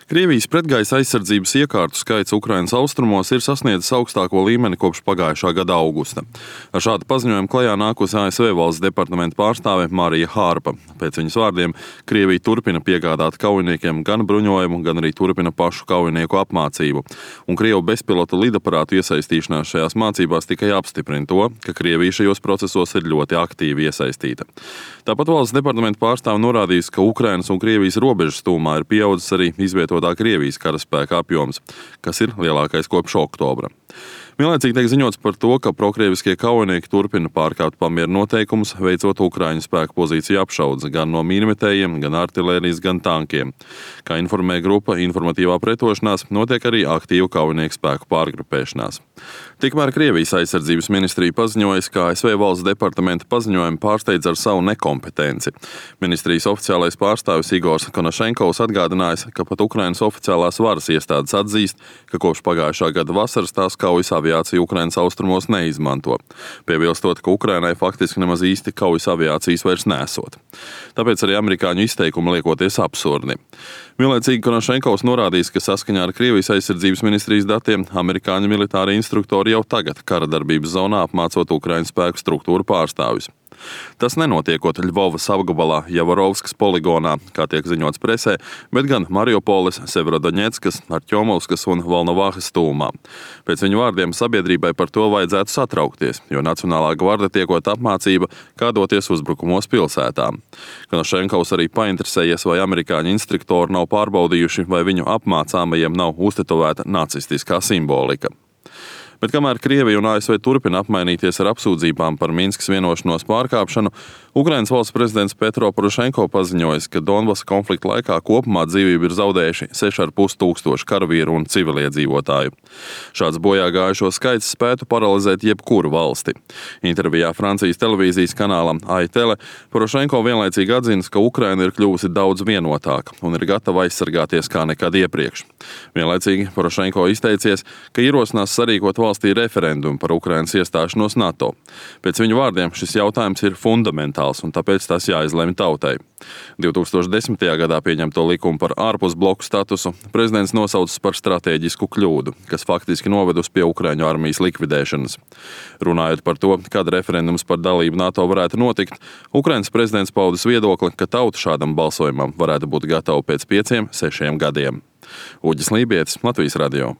Krievijas pretgaisa aizsardzības iekārtu skaits Ukrainas austrumos ir sasniedzis augstāko līmeni kopš pagājušā gada augusta. Ar šādu paziņojumu klajā nākusi ASV valsts departamenta pārstāve Marija Hārpa. Pēc viņas vārdiem, Krievija turpina piegādāt kaujiniekiem gan bruņojumu, gan arī turpina pašu kaujinieku apmācību. Un Krievu bezpilota lidaparātu iesaistīšanās šajās mācībās tikai apstiprina to, ka Krievija šajos procesos ir ļoti aktīvi iesaistīta. Tāpat valsts departamenta pārstāve norādījusi, ka Ukrainas un Krievijas robežas tūmā ir pieaudzis arī izvietotā Krievijas karaspēka apjoms, kas ir lielākais kopš oktobra. Vienlaicīgi tiek ziņots par to, ka prokrieviskie kaujinieki turpina pārkāpt pamieru noteikumus, veicot Ukraiņu spēku pozīciju apšaudes gan no mīnmetējiem, gan artilērijas, gan tankiem. Kā informē grupa Informatīvā pretošanās, notiek arī aktīvu kaujinieku spēku pārgrupēšanās. Tikmēr Krievijas aizsardzības ministrija paziņojas, ka ASV valsts departamenta paziņojumu pārsteidz ar savu nekompetenci. Ministrijas oficiālais pārstāvis Igors Konašenkovs atgādinājis, ka pat Ukrainas oficiālās varas iestādes atzīst, ka kopš pagājušā gada vasaras tās kaujas aviācija Ukrainas austrumos neizmanto, piebilstot, ka Ukrainai faktiski nemaz īsti kaujas aviācijas vairs nesot. Tāpēc arī amerikāņu izteikumi liekoties absurdi. Vienlaicīgi Konašenkovs norādījis, ka saskaņā ar Krievijas aizsardzības ministrijas datiem amerikāņu militāri instruktori jau tagad kara darbības zonā apmācot Ukraiņu spēku struktūru pārstāvjus. Tas nenotiekot Ļvovas apgabalā Javorovskas poligonā, kā tiek ziņots presē, bet gan Mariupoles, Severodoņetskas, Artjomovskas un Volnovahas tūmā. Pēc viņu vārdiem sabiedrībai par to vajadzētu satraukties, jo Nacionālā gvarde tiekot apmācība, kā doties uzbrukumos pilsētām. Konašenkovs arī painteresējies, vai amerikāņu instruktori nav pārbaudījuši, vai viņu apmācāmajiem nav uztetovēta nacistiskā simbolika. Bet kamēr Krievija un ASV turpina apmainīties ar apsūdzībām par Minskas vienošanos pārkāpšanu, Ukrainas valsts prezidents Petro Porošenko paziņojis, ka Donbasa konflikta laikā kopumā dzīvību ir zaudējuši 6,5 tūkstoši karavīru un civiliedzīvotāju. Šāds bojā gājušo skaits spētu paralizēt jebkuru valsti. Intervijā Francijas televīzijas kanālam AITele Porošenko vienlaicīgi atzīst, ka Ukraina ir kļuvusi daudz vienotāka un ir gatava aizsargāties kā nekad iepriekš. Vienlaicīgi Porošenko izteicies, ka ierosinās sarīkot valstī referendumu par Ukrainas iestāšanos NATO. Pēc viņu vārdiem šis jautājums ir fundamentāls un tāpēc tas jāizlemj tautai. 2010. gadā pieņemto likumu par ārpusbloku statusu prezidents nosaucis par stratēģisku kļūdu, kas faktiski novedusi pie Ukraiņu armijas likvidēšanas. Runājot par to, kad referendums par dalību NATO varētu notikt, Ukrainas prezidents paudis viedokli, ka tauta šādam balsojumam varētu būt gatava pēc 5-6 gadiem. Uģis Lībietis, Latvijas radio.